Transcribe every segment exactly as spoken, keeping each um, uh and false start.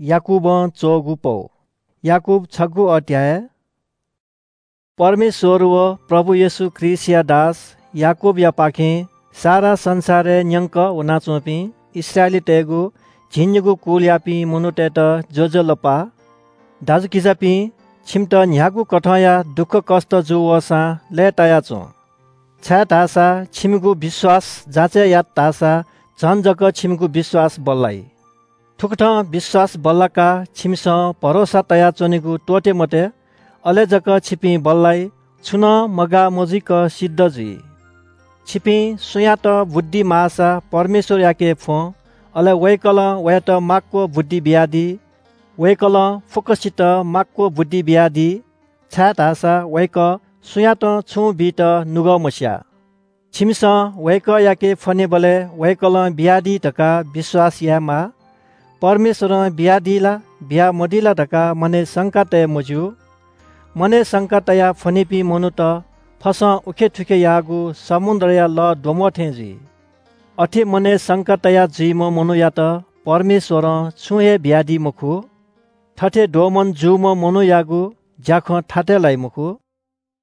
याकूबं च्वःगु पौ। याकूब छगू अध्याय। परमेश्वर व प्रभु येशू ख्रीष्टया दास याकूबयापाखें सारा संसारय् न्यंक वनाच्वंपिं इस्राएलीतय्‌गु झिंनिगू कुलयापिं मनूतय्‌त ज्वजलपा। दाजुकिजापिं, छिमित न्ह्यागु कथंया दुःखकष्ट जू वःसां लय्‌ताया च्वँ, छाय्‌धाःसा छिमिगु विश्वास जाँचय् यात धाःसा झन जक छिमिगु विश्वास बल्लाइ। थुकथं विश्वास बल्लाकाः छिमिसं भरोसा तयाच्वनेगु त्वःते मते, अले जक छिपिं बल्लाइ, छुं नं मगाः मजुइक सिद्ध जुइ। छिपिं सुयातं बुद्धि माःसा परमेश्वरयाके फ्वँ, अले वय्‌कलं वयात माक्व बुद्धि बियादी। वय्‌कलं फुक्कसित माक्व बुद्धि बियादी, छाय्‌धाःसा वय्‌कः सुयातं छुं बीत नुगः मस्याः। छिमिसं वय्‌कःयाके फ्वनेबलय् वय्‌कलं बियादी धकाः विश्वास यायेमाः। परमेश्वरं बियादी ला, बियामदी ला धकाः मनय् शंका तये मज्यू। मनय् शंका तयाः फ्वनीपिं मनूत फसं उखेथुखे याःगु समुद्रया लः द्वम्ह थें जुइ। अथे मनय् शंका तयाः जुइम्ह मनूयात परमेश्वरं छुं हे बियादी मखु। थथे द्वःमन जूम्ह मनूयागु ज्याखँ थातय् लाइ मखु।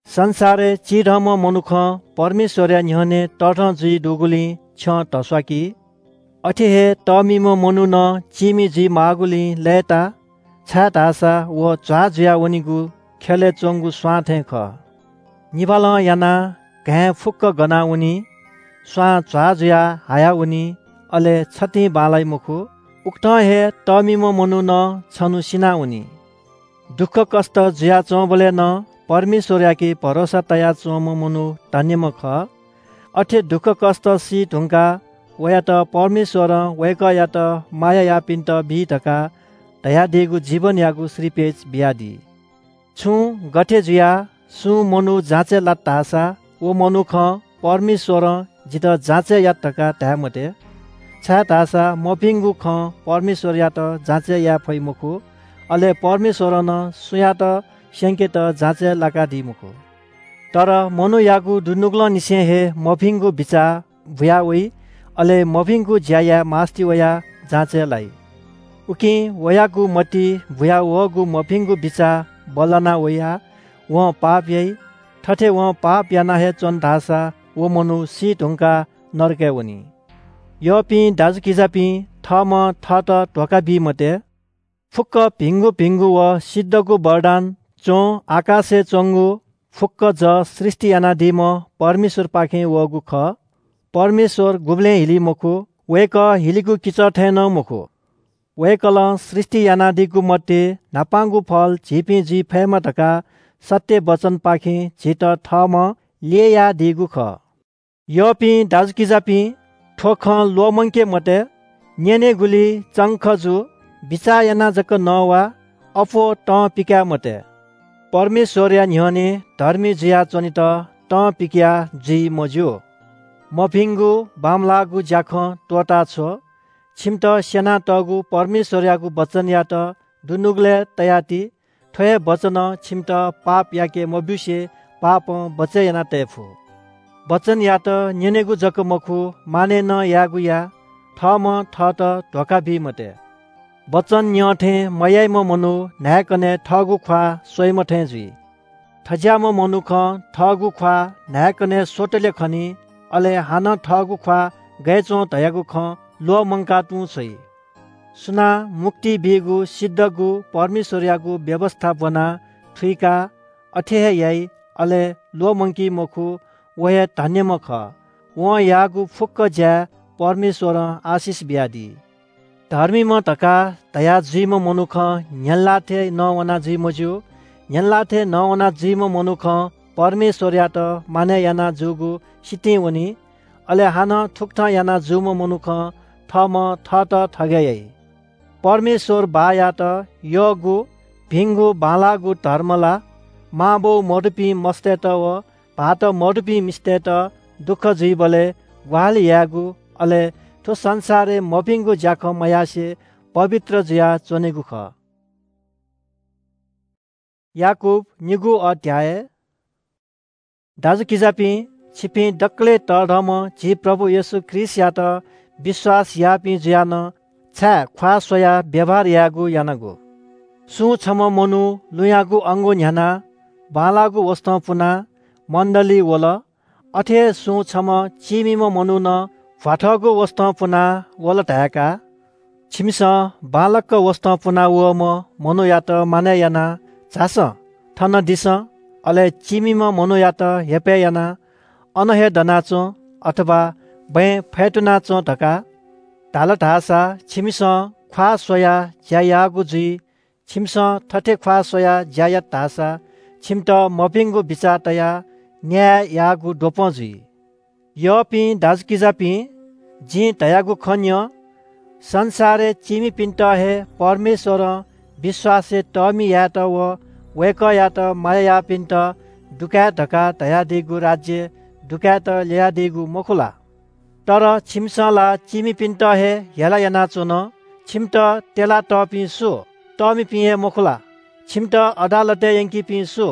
संसारय् चिधंम्ह मनुखं परमेश्वरया न्ह्यःने तःधं जुइ दुगुलिं छ्यं धस्वाकी। अथे हे तःमिम्ह मनू नं चीमि जुइ माःगुलिं लय्‌ता, छाय्‌धाःसा व झ्वाः जुयावनीगु ख्यलय् च्वंगु स्वां थें खः। निभालं यानाः घाँय् फुक्क गनावनी। स्वां झ्वाः जुयाः हायावनी, अले छतिं बांलाइ मखु। उकथं हे तःमिम्ह मनू नं छन्हु सिनावनी। दुःखकष्ट जुयाच्वंबलय् नं परमेश्वरयाके भरोसा तयाच्वंम्ह मनू धन्यम्ह खः। अथे दुःखकष्ट सी धुंकाः वयात परमेश्वरं वय्‌कःयात माया याःपिन्त बी धकाः धयादीगु जीवनयागु श्रीपेच बियादी। छुं गथे जुयाः सुं मनू जाँचय् लात धाःसा व मनुखं परमेश्वरं जितः जाँचय् यात धकाः धाये मते, छाय्‌धाःसा मभिंगु खँ परमेश्वरयात जाँचय् याये फइ मखु, अले परमेश्वरं नं सुयातं स्यंकेत जाँचय् लाकादी मखु। तर मनूयागु दुनुगलंनिसें हे मभिंगु बिचाः बुया वइ, अले मभिंगु ज्या याये मास्ति वयाः जाँचय् लाइ। उकिं वयागु मतिइ बुया वःगु मभिंगु बिचाः बल्लाना वयाः वं पाप याइ। थथे वं पाप याना हे च्वन धाःसा व मनू सी धुंकाः नरकय् वनी। यःपिं दाजुकिजापिं, थःम्हं थःत धोखा बी मते। फुक्क भिंगु भिंगु व सिद्धगु वरदान च्वं आकाशय् च्वंगु फुक्क जः सृष्टि यानादीम्ह परमेश्वरपाखें वःगु खः। परमेश्वर गुबलें हिली मखु, वय्‌कः हिलिगु किचः थें नं मखु। वय्‌कलं सृष्टि यानादीगु मध्ये न्हापांगु फल झीपिं जुइ फयेमा धकाः सत्य वचनपाखें झीत थःम्हं ल्ययादीगु खः। यःपिं दाजुकिजापिं, थ्व खँ ल्वःमंके मते। न्यनेगुली चंख जु, बिचाः यानाः जक नवा, अप्वः तं पिकाये मते। परमेश्वरया न्ह्यःने धर्मी जुयाच्वनेत तं पिकयाः जुइ मज्यू। मभिंगु बांमलाःगु ज्याखँ त्वःताछ्व। छिमित स्यनातःगु परमेश्वरयागु वचनयात दुनुगलय् तयाति। थ्व हे वचनं छिमित पाप याके मब्यूसे पापं बचय् याना तये फु। वचनयात न्यनेगु जक मखु, मानय् नं यायेगु या। थःम्हं थःत धोखा बी मते। वचन न्यं थें मयाइम्ह मनू न्हाय्‌कनय् थःगु ख्वाः स्वइम्ह थें जुइ। थज्याःम्ह मनुखं थःगु ख्वाः न्हाय्‌कनय् स्वतले खनी, अले हानं थःगु ख्वाः गय् च्वं धयागु खँ ल्वःमंका तुं छ्वइ। सुनां मुक्ति बीगु सिद्धगु परमेश्वरयागु व्यवस्था ब्वनाः थुइकाः अथे हे याइ, अले ल्वःमंकी मखु, व हे धन्यम्ह खः। वं याःगु फुक्क ज्याय् परमेश्वरं आशिष बियादी। धर्मीम्ह धकाः धया जुइम्ह मनुखं न्‍ह्यःने ल्‍हाः थें नवाना जुइ मज्‍यू। न्‍ह्यःने ल्‍हाः थें नवाना जुइम्ह मनुखं परमेश्‍वरयात मानय् याना जूगु सितिं वनी। अले हानं थुकथं याना जूम्ह मनुखं थःम्‍हं थःत थगय् याइ। परमेश्‍वर बाःयात यःगु भिंगु बांलाःगु धर्म ला मांबौ मदुपिं मस्तय्‌त व भाःत मदुपिं मिस्तय्‌त दुःख जुइबलय् ग्‍वाहालि यायेगु, अले थ्‍व संसारय् मभिंगु ज्‍याखँ मयासें पवित्र जुयाः च्‍वनेगु खः। याकूब निगू अध्‍याय। दाजुकिजापिं, छिपिं दकलय् तःधंम्‍ह झी प्रभु येशू ख्रीष्‍टयात विश्‍वास याःपिं जुयाः नं छाय् ख्वाः स्वयाः व्यवहार यायेगु यानागु? सुं छम्ह मनू लुँयागु अंगू न्ह्यानाः बांलाःगु वसतं पुनाः मण्‍डलीइ वल, अथे हे सुं छम्ह चीमिम्‍ह मनू नं भ्‍वाथःगु वसतं पुनाः वल धाय्‌का। छिमिसं बांलाक वसतं पुना वःम्‍ह मनूयात मानय् यानाः झासँ, थन दिसँ, अले चीमिम्‍ह मनूयात हेपय् यानाः अन हे दनाच्‍वँ अथवा बँय् फय्‌तुनाच्‍वँ धकाः धाल धाःसा छिमिसं ख्‍वाः स्वयाः ज्‍या याःगु जुइ। छिमिसं थथे ख्‍वाः स्वयाः ज्‍या यात धाःसा छिमित मभिंगु बिचाः तयाः न्‍याय याःगु द्वपं जुइ। यःपिं दाजुकिजापिं, जिं धयागु खँ न्‍यँ। संसारय् चीमिपिन्‍त हे परमेश्‍वरं विश्‍वासय् तःमि यायेत व वय्‌कःयात माया याःपिन्‍त दुकाये धकाः धयादीगु राज्‍य दुकायेत ल्‍ययादीगु मखु ला? तर छिमिसं ला चीमिपिन्‍त हे हेला यानाच्‍वन। छिमित त्‍यला तःपिं सु? तःमिपिं हे मखु ला? छिमित अदालतय् यंकीपिं सु?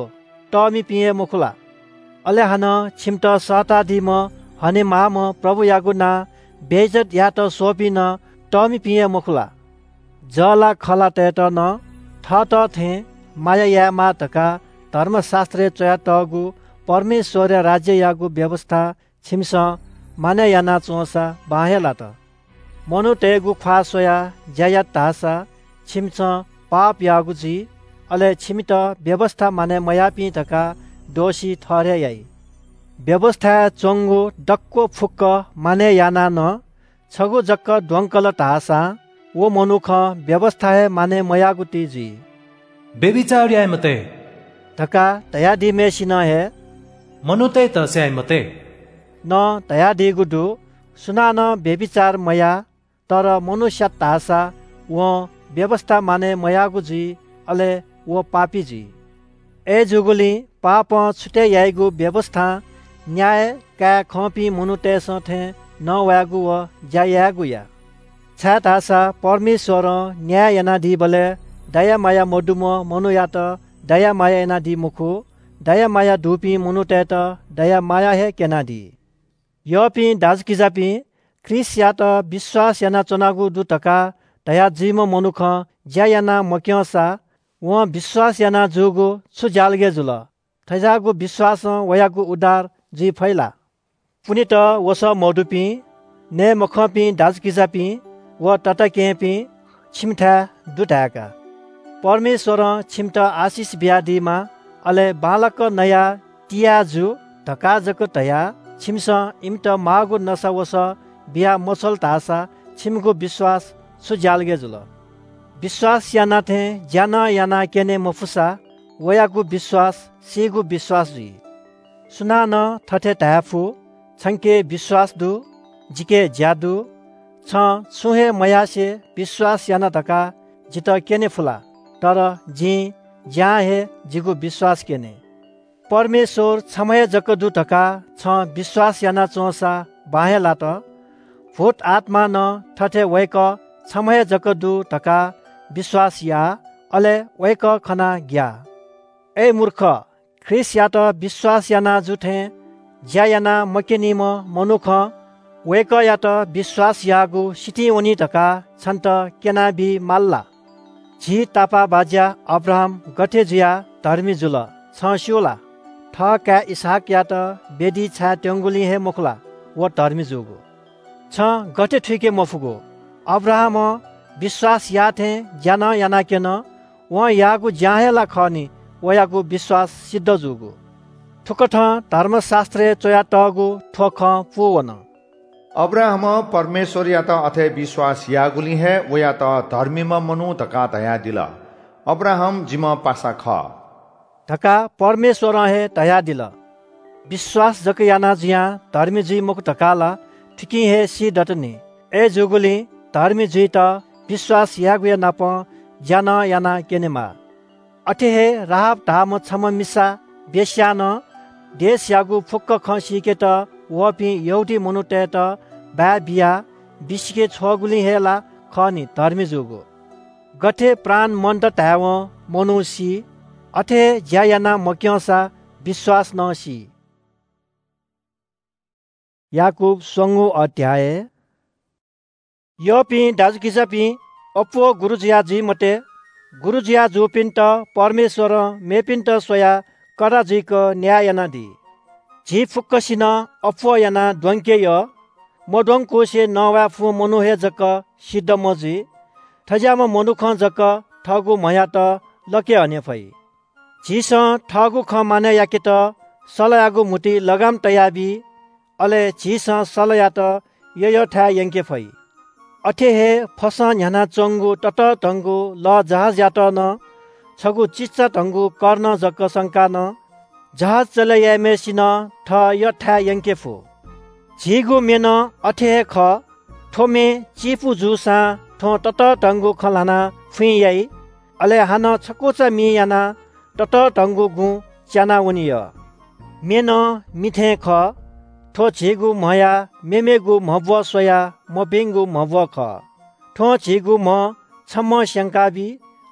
तःमिपिं हे मखु ला? अले हानं छिमित सःतादीम्‍ह हनेमाःम्‍ह प्रभुयागु नां बेइज्‍जत यायेत स्‍वःपिं नं तःमिपिं हे मखु ला? जःलाखःलातय्‌त नं थःत थें माया यायेमाः धकाः धर्मशास्‍त्रय् च्‍वयातःगु परमेश्‍वरया राज्‍ययागु व्‍यवस्‍था छिमिसं मानय् यानाच्‍वंसा बां हे लात। मनूतय्‌गु ख्‍वाः स्वयाः ज्‍या यात धाःसा छिमिसं पाप याःगु जुइ, अले छिमित व्‍यवस्‍था मानय् मयाःपिं धकाः दोषी ठहरय् याइ। व्‍यवस्‍थाय् च्‍वंगु दक्‍व फुक्‍क मानय् यानाः नं छगू जक द्वंकल धाःसां व मनुखं व्‍यवस्‍था हे मानय् मयाःगु ति जुइ। "व्‍यभिचार याये मते" धकाः धयादीम्‍हय्‌सिनं हे "मनूतय्‌त स्‍याये मते" नं धयादीगु दु। सुनानं व्‍यभिचार मयाः, तर मनू स्‍यात धाःसा वं व्‍यवस्‍था मानय् मयाःगु जुइ, अले व पापी जुइ। अय्‌जूगुलिं पापं छुतय् याइगु व्‍यवस्‍थां न्‍याय काये खंपिं मनूतय्‌सं थें नवायेगु व ज्‍या यायेगु या। छाय्‌धाःसा परमेश्‍वरं न्‍याय यानादीबलय् दया माया मदुम्‍ह मनूयात दया माया यानादी मखु, दया माया दुपिं मनूतय्‌त दया माया हे क्‍यनादी। यःपिं दाजुकिजापिं, ख्रीष्‍टयात विश्‍वास यानाच्‍वनागु दु धकाः धया जुइम्‍ह मनुखं ज्‍या याना मक्‍यंसा वं विश्‍वास याना जूगु छु ज्‍यालगय् जुल? थज्‍याःगु विश्‍वासं वयागु उद्धार जुइ फइ ला? पुनेत वसः मदुपिं, नये मखंपिं दाजुकिजापिं व तताकेहेँपिं, छिमिथाय् दु धाय्‌का। परमेश्‍वरं छिमित आशिष बियादीमा, अले बांलाक नयाः तिया जु धकाः जक धयाः छिमिसं इमित माःगु नसा वसः बिया मछ्वल धाःसा छिमिगु विश्‍वास छु ज्‍यालगय् जुल? विश्‍वास याना थें ज्‍या नं याना क्‍यने मफुसा वयागु विश्‍वास सीगु विश्‍वास जुइ। सुनानं थथे धाये फु, "छंके विश्‍वास दु, जिके ज्‍या दु।" छं छुं हे मयासें विश्‍वास याना धकाः जितः क्‍यने फु ला? तर जिं ज्‍यां हे जिगु विश्‍वास क्‍यने। परमेश्‍वर छम्‍ह हे जक दु धकाः छं विश्‍वास यानाच्‍वंसा बां हे लात। भूत आत्‍मां नं थथे वय्‌कः छम्‍ह हे जक दु धकाः विश्‍वास याः, अले वय्‌कः खनाः ग्‍याः। अय् मूर्ख, ख्रीष्‍टयात विश्‍वास याना जु थें ज्‍या याना मक्‍यनीम्‍ह मनुखं वय्‌कःयात विश्‍वास याःगु सितिं वनी धकाः छन्‍त क्‍यनाबी माल ला? झी तापाःबाज्‍या अब्राहाम गथे जुयाः धर्मी जुल, छं स्‍यू ला? थः काय् इसहाकयात वेदी छायेत्यंगुलिं हे मखु ला व धर्मी जूगु? छं गथे थुइके मफुगु? अब्राहामं विश्‍वास याः थें ज्‍या नं यानाक्‍यन। वं याःगु ज्‍यां हे ला खः नि वयागु विश्‍वास सिद्ध जूगु। थुकथं धर्मशास्‍त्रय् च्‍वयातःगु थ्‍व खँ पूवन। "अब्राहामं परमेश्‍वरयात अथे विश्‍वास याःगुलिं हे वयात धर्मीम्‍ह मनू धकाः धयादिल। अब्राहाम जिम्‍ह पासा खः" धकाः परमेश्‍वरं हे धयादिल। विश्‍वास जक याना जुयां धर्मी जुइ मखु धकाः ला थुकिं हे सी दत नि। अय्‌जूगुलिं धर्मी जुइत विश्‍वास यायेगुया नाप ज्‍या नं याना क्‍यनेमाः। अथे हे राहाब धाःम्‍ह छम्‍ह मिसा वेश्‍यां नं देशयागु फुक्‍क खँ सीकेत वःपिं यहूदी मनूतय्‌त बाय् बियाः बिसिके छ्वःगुलिं हे ला खः नि धर्मी जूगु। गथे प्राण मन्‍त धायेवं मनू सी, अथे हे ज्‍या याना मक्‍यंसा विश्‍वास नं सी। याकूब स्वंगू अध्‍याय। यःपिं दाजुकिजापिं, अप्वः गुरु जुया जुइ मते। गुरु जुया जूपिन्त परमेश्वरं मेपिन्त स्वयाः कडा जुइक न्याय यानादी। झी फुक्कसिनं अप्वः यानाः द्वंके यः। मद्वंकुसे नवाये फुम्ह मनू हे जक सिद्धम्ह जुइ। थज्याःम्ह मनुखं जक थःगु म्हयात लके हने फइ। झीसं थःगु खँ मानय् याकेत सलयागु म्हुतुइ लगाम तयाबी। अले झीसं सलयात यःयःथाय् यंके फइ। अथे हे फसं न्ह्यानाच्वंगु ततःधंगु लःजहाजयात नं छगू चिचाधंगु कर्ण जक संकाः नं जहाज चले याइम्हय्‌सिनं थः यःथाय् यंके फु। झीगु मे नं अथे हे खः। थ्व मे चिपु जूसां थ्वं ततःधंगु खँ ल्हानाः फुइँ याइ। अले हानं छकूचा मि यानाः ततःधंगु गुँ च्यानावनी यः। मे नं मि थें खः। थ्व झीगु म्हया मेमेगु म्हब्वः स्वयाः मभिंगु म्हब्वः खः। थ्वं झीगु म्ह छम्हं स्यंकाबी।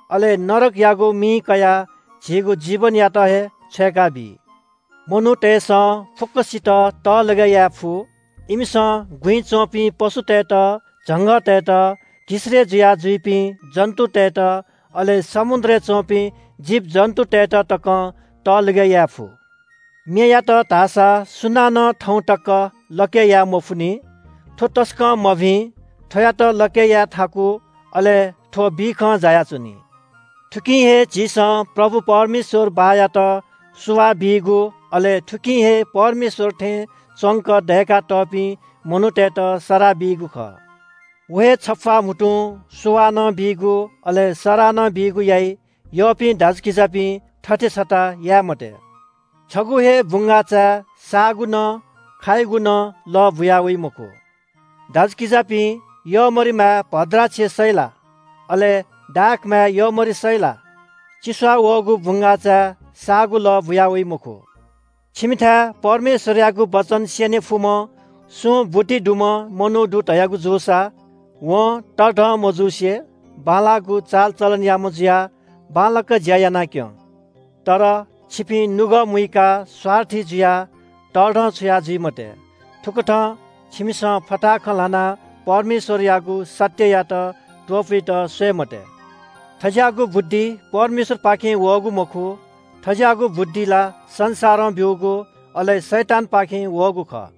अले नरकयागु मिइ कयाः झीगु जीवनयात हे छ्वय्‌काबी। मनूतय्‌सं फुक्कसित तःलगय् याये फु। इमिसं गुँइ च्वंपिं पशुतय्‌त, झंगःतय्‌त, घिसय् जुया जुइपिं जन्‍तुतय्‌त, अले समुद्रय् च्वंपिं जीवजन्‍तुतय्‌त तकं तःलगय् याये फु। मेयात धाःसा सुनानं थौं तक लके याये मफुनि। थ्व तसकं मभिं, थ्वयात लके याये थाकु, अले थ्व बिखं जायाच्वनी। थुकिं हे झीसं प्रभु परमेश्वर बाःयात सुभाय् बीगु, अले थुकिं हे परमेश्वर थें च्वंक दय्‌कातःपिं मनूतय्‌त सराः बीगु खः। व हे छप्‍वाः म्‍हुतुं सुभाय् नं बीगु, अले सराः नं बीगु याइ। यःपिं दाजुकिजापिं, थथे छता याये मते। छगू हे बुंगाःचाय् साःगु नं, खाइगु नं लः बुया वइ मखु। दाजुकिजापिं, यःमरिमाय् भद्राक्ष सइ ला? अले दाखमाय् यःमरि सइ ला? चिस्वाः वःगु बुंगाःचाय् साःगु लः बुया वइ मखु। छिमिथाय् परमेश्वरयागु वचन स्यने फुम्‍ह सुं बुद्धि दुम्‍ह मनू दु धयागु जूसा, वं तःधं मजूसे बांलाःगु चालचलनयाम्‍ह जुयाः बांलाक ज्‍या याना क्‍यँ। तर छिपिं नुगः मुइकाः स्वार्थी जुयाः तःधं छुया जुइ मते। थुकथं छिमिसं फताहा खँ ल्‍हानाः परमेश्वरयागु सत्ययात त्‍वपुइत स्वये मते। थज्‍याःगु बुद्धि परमेश्वरपाखें वःगु मखु। थज्‍याःगु बुद्धि ला संसारं ब्‍यूगु, अले शैतानपाखें वःगु खः।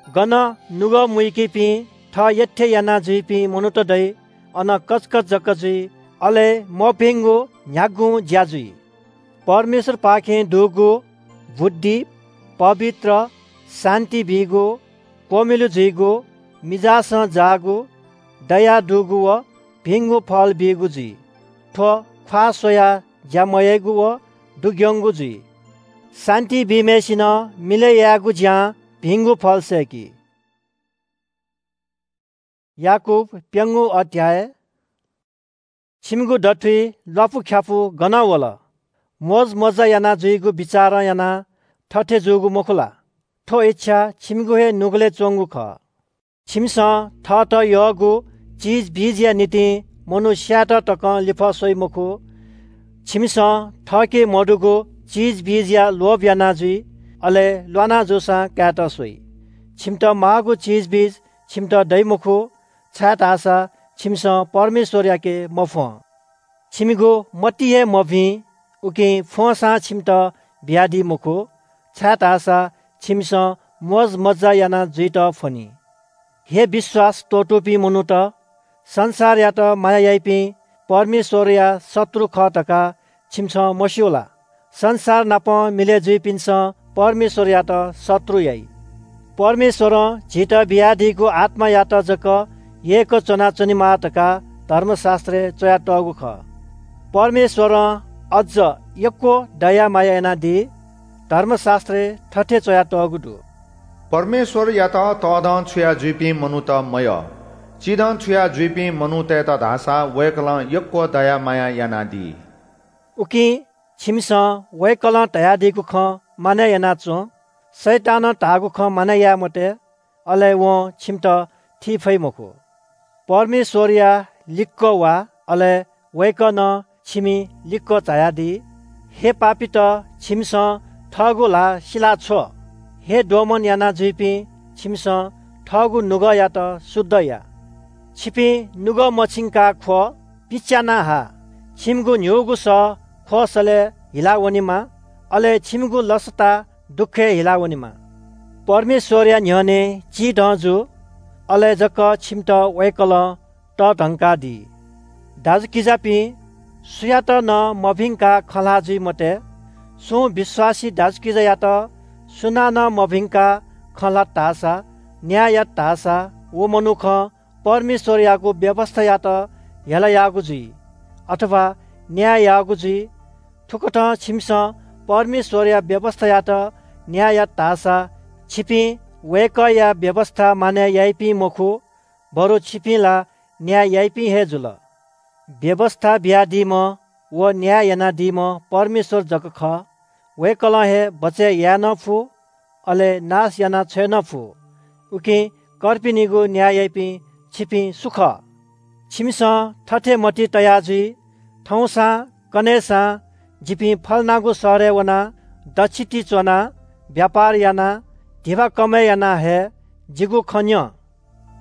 गन नुगः मुइकीपिं, थः यःथें याना जुइपिं मनूत दइ, अन कचकच जक जुइ, अले मभिंगु न्‍ह्यागुं ज्‍या जुइ। परमेश्वरपाखें दुगु बुद्धि, पवित्र, शान्‍ति बीगु, क्‍वमिलु जुइगु, मिजासं जाःगु, दया दुगु व भिंगु फल बीगु जुइ। थ्‍व ख्‍वाः स्‍वयाः ज्‍या मयाइगु व दुग्‍यंगु जुइ। शान्‍ति बीम्‍हय्‌सिनं मिलय् यायेगु ज्‍यां भिंगु फल सय्‌की। याकूब प्‍यंगू अध्‍याय। छिमिगु दथुइ ल्‍वापुख्‍यापु गनं वल? मोजमज्‍जा याना जुइगु बिचारं यानाः थथे जूगु मखु ला? थ्‍व इच्‍छा छिमिगु हे नुगलय् च्‍वंगु खः। छिमिसं थःत यःगु चिजबिजया निंतिं मनू स्‍यायेत तकं लिफः स्वइ मखु। छिमिसं थःके मदुगु चिजबिजया लोभ याना जुइ, अले ल्‍वाना जूसां कायेत स्वइ। छिमित माःगु चिजबिज छिमित दइ मखु, छाय्‌धाःसा छिमिसं परमेश्‍वरयाके मफ्‍वं। छिमिगु मति हे मभिं, उकिं फ्‍वंसां छिमित बियादी मखु, छाय्‌धाःसा छिमिसं मोजमज्‍जा याना जुइत फ्‍वनी। हे विश्‍वास त्‍वःतूपिं मनूत, संसारयात माया याइपिं परमेश्‍वरया शत्रु खः धकाः छिमिसं मस्‍यू ला? संसार नाप मिलय् जुइपिन्‍सं परमेश्‍वरयात शत्रु याइ। परमेश्‍वरं झीत बियादीगु आत्‍मायात जक यय्‌क च्‍वनाच्‍वनेमाः धकाः धर्मशास्‍त्रय् च्‍वयातःगु खः। परमेश्‍वरं अझ यक्‍व दया माया यानादी। धर्मशास्‍त्रय् थथे च्‍वयातःगु दु, परमेश्‍वरयात तःधं छुया जुइपिं मनूत मयः, चिधं छुया जुइपिं मनूतय्‌त धाःसा वय्‌कलं यक्‍व दया माया यानादी। उकिं छिमिसं वय्‌कलं धयादीगु खँ मानय् यानाच्‍वँ। शैतानं धाःगु खँ मानय् याये मते, अले वं छिमित थी फइ मखु। परमेश्‍वरया लिक्‍क वा, अले वय्‌कलं छिमि लिक्‍क झायादी। हे पापीत, छिमिसं थःगु ल्‍हाः सिला छ्व। हे दोमन याना जुइपिं, छिमिसं थःगु नुगःयात शुद्ध या। छिपिं नुगः मछिंकाः ख्वः, पिच्यानाः हा। छिमिगु न्ह्यूगु सः ख्वःसलय् हिला वनेमा, अले छिमिगु लसता दुःखय् हिला वनेमा। परमेश्वरया न्ह्यःने चिधं जु, अले जक छिमित वय्कलं तःधंकादी। दाजुकिजापिं, सुयात नं मभिंकाः खँ ल्हाः जुइ मते। सुं विश्वासी दाजुकिजायात सुनानं मभिंकाः खँ ल्हात धाःसा, न्याय यात धाःसा, व मनुखं परमेश्वरयागु व्‍यवस्‍थायात हेला याःगु जुइ, अथवा न्‍याय याःगु जुइ। थुकथं छिमिसं परमेश्वरया व्‍यवस्‍थायात न्‍याय यात धाःसा, छिपिं वय्‌कःया व्‍यवस्‍था मानय् याइपिं मखु, बरु छिपिं ला न्‍याय याइपिं हे जुल। व्‍यवस्‍था बियादीम्‍ह व न्‍याय यानादीम्‍ह परमेश्‍वर जक खः। वय्‌कलं हे बचय् याये नं फु, अले नाश याना छ्वये नं फु। उकिं कर्पिनिगु न्‍याय याइपिं छिपिं सु खः? छिमिसं थथे मतिइ तया जुइ, थौंसां कन्हय्‌सां जिपिं फलानागु शहरय् वनाः दच्‍छि ति च्‍वनाः, व्‍यापार यानाः, धिबा कमय् यानाः हे जिगु खँ न्‍यँ।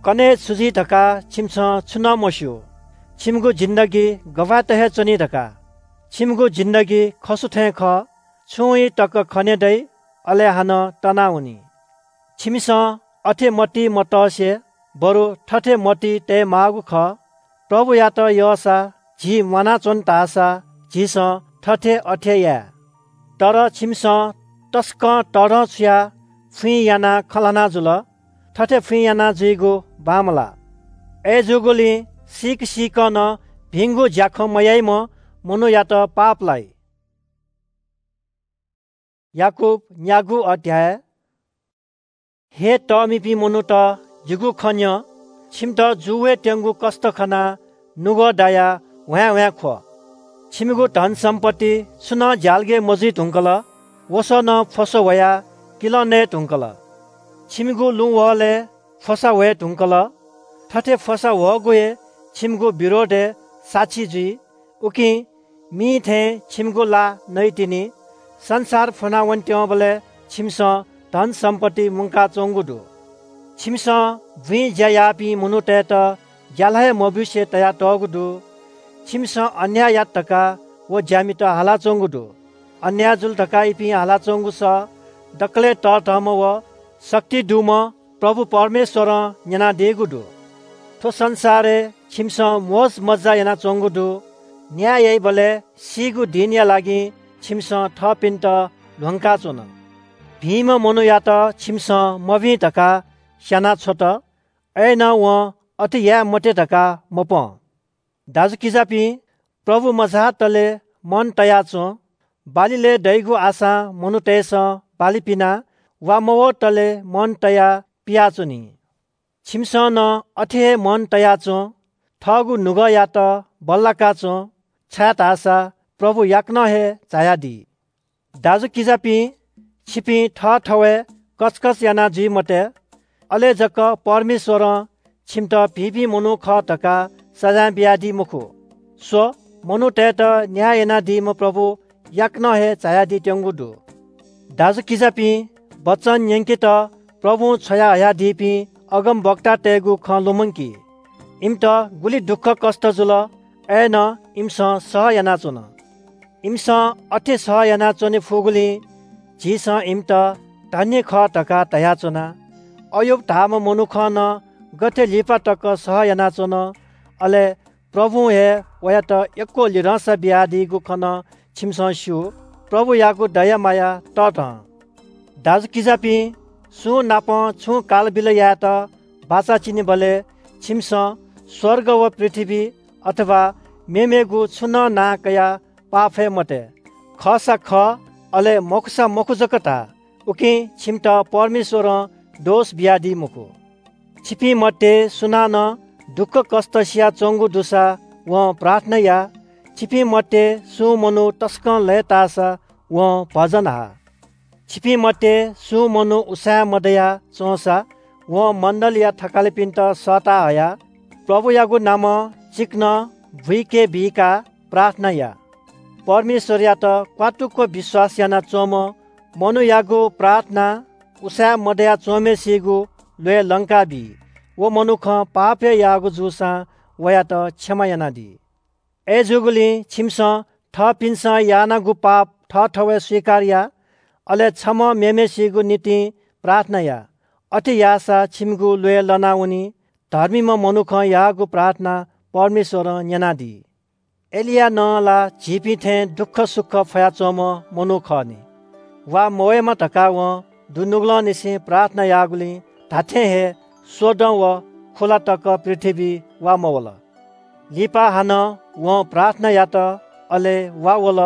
कन्हय् छु जुइ धकाः छिमिसं छुं नं मस्‍यू। छिमिगु जिन्दगी गबलय् हे च्‍वनी धकाः। छिमिगु जिन्दगी खसु थें खः, छुं ई तक खने दइ, अले हानं तनावनी। छिमिसं अथे मतिइ मतसे, बरु थथे मतिइ तये माःगु खः, प्रभुयात यःसा झी म्‍वानाच्‍वन धाःसा झीसं थथे अथे याये। तर छिमिसं तसकं तःधंछुयाः फुइँ यानाः खँ ल्‍हाना जुल, थथे फुइँ याना जुइगु बांमलाः। अय्‌जूगुलिं सीक सीकं नं भिंगु ज्‍याखँ मयाइम्‍ह मनूयात पाप लाइ। याकूब न्‍यागू अध्‍याय। हे तःमिपिं मनूत, जिगु खँ न्‍यँ, छिमित जू वयेत्यंगु कष्‍ट खनाः नुगः दायाः ह्वाँय् ह्वाँय् ख्‍वः। छिमिगु धनसम्‍पत्ति छुं नं ज्‍यालगय् मजुइ धुंकल, वसः नं फ्‍वसा ह्वयाः किलं नये धुंकल। छिमिगु लुँह्वलय् फ्‍वसा ह्वये धुंकल। थथे फ्‍वसा ह्वःगु हे छिमिगु विरोधय् साक्षी जुइ। उकिं मिं थें छिमिगु ला नइतिनि। संसार फ्‍वनावनेत्यंबलय् छिमिसं धनसम्‍पत्ति मुंकाच्‍वंगु दु। छिमिसं बुँइ ज्‍या याःपिं मनूतय्‌त ज्‍याला हे मब्‍यूसे तयातःगु दु। छिमिसं अन्‍याय यात धकाः व ज्‍यामित हालाच्‍वंगु दु। अन्‍याय जुल धकाः इपिं हालाच्‍वंगु सः दकलय् तःधंम्‍ह व शक्ति दुम्‍ह प्रभु परमेश्‍वरं न्‍यनादीगु दु। थ्‍व संसारय् छिमिसं मोजमज्‍जा यानाच्‍वंगु दु। न्‍याय याइबलय् सीगु दिनया लागि छिमिसं थःपिन्‍त ल्‍ह्वंकाच्‍वन। भिंम्‍ह मनूयात छिमिसं मभिं धकाः स्‍यानाछ्वत, अय्‌नं वं अथे याये मते धकाः मपं। दाजुकिजापिं, प्रभु मझाःतले मन तयाच्‍वँ। बाली लय् दइगु आशां मनूतय्‌सं बाली पिनाः वा मवतले मन तयाः पियाच्‍वनी। छिमिसं नं अथे हे मन तयाच्‍वँ। थःगु नुगःयात बल्‍लाकाच्‍वँ, छाय्‌धाःसा प्रभु याकनं हे झायादी। दाजुकिजापिं, छिपिं थःथवय् कचकच याना जुइ मते, अले जक परमेश्‍वरं छिमित भिंपिं मनू खः धकाः सजाँय बियादी मखु। स्‍व, मनूतय्‌त न्‍याय यानादीम्‍ह प्रभु याकनं हे झायादीत्यंगु दु। दाजुकिजापिं, वचन न्‍यंकेत प्रभुं छ्वयाहयादीपिं अगमवक्तातय्‌गु खँ लुमंकि। इमित गुलि दुःखकष्‍ट जुल, अय्‌नं इमिसं सह यानाच्‍वन। इमिसं अथे सह यानाच्‍वने फुगुलिं झीसं इमित धन्‍य खः धकाः धयाच्‍वना। अय्यूब धाःम्‍ह मनुखं नं गथे लिपा तक सह यानाच्‍वन, अले प्रभुं हे वयात यक्‍व लिधंसा बियादीगु खँ नं छिमिसं स्‍यू। प्रभुयागु दया माया तःधं। दाजुकिजापिं, सुं नाप छुं कालबिल यायेत बाचा चिनेबलय् छिमिसं स्‍वर्ग व पृथ्‍वी अथवा मेमेगु छुं नं नां कयाः पाफये मते। खःसा खः, अले मखुसा मखु जक धा, उकिं छिमित परमेश्‍वरं दोष बियादी मखु। छिपिं मध्ये सुनानं दुःखकष्‍ट सियाच्‍वंगु दुसा वं प्रार्थना या। छिपिं मध्ये सुं मनू तसकं लय्‌ताःसा वं भजन हा। छिपिं मध्ये सुं मनू उसाँय् मदया च्‍वंसा वं मण्‍डलीया थकालिपिन्‍त सःता हयाः प्रभुयागु नामं चिकनं बुइके बीकाः प्रार्थना या। परमेश्‍वरयात क्‍वातुक्‍क विश्‍वास यानाच्‍वंम्‍ह मनूयागु प्रार्थनां उसाँय् मदया च्‍वंम्‍हय्‌सिगु ल्‍वय् लंका बी। व मनुखं पाप हे याःगु जूसां वयात क्षमा यानादी। अय्‌जूगुलिं छिमिसं थःपिन्सं यानागु पाप थःथवय् स्वीकार या, अले छम्हं मेम्हय्‌सिगु निंतिं प्रार्थना या। अथे याःसा छिमिगु ल्वय् लनावनी। धर्मीम्ह मनुखं याःगु प्रार्थना परमेश्वरं न्‍यनादी। एलिया नं ला झीपिं थें दुःखसुख फयाच्‍वंम्‍ह मनू खः नि। वा मवयेमा धकाः वं दुनुगलंनिसें प्रार्थना याःगुलिं धात्‍थें हे स्‍वदँ व खुला तक पृथ्‍वीइ वा मवल। लिपा हानं वं प्रार्थना यात, अले वा वल,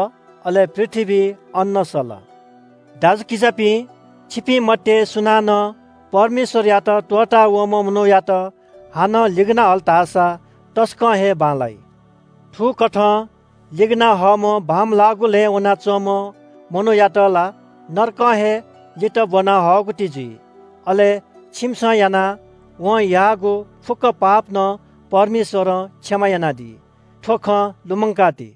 अले पृथ्‍वीइ अन्न सल। दाजुकिजापिं, छिपिं मध्ये सुनानं परमेश्‍वरयात त्‍वःतावःम्‍ह मनूयात हानं लिगना हल धाःसा तसकं हे बांलाइ। थुकथं लिगना हःम्‍ह बांमलाःगु लँय् वनाच्‍वंम्‍ह मनूयात ला नरकं हे लित ब्‍वना हःगु ति जुइ। अले छिमिसं यानाः वं याःगु फुक्‍क पाप नं परमेश्‍वरं क्षमा यानादी। थ्‍व खँ लुमंकादी।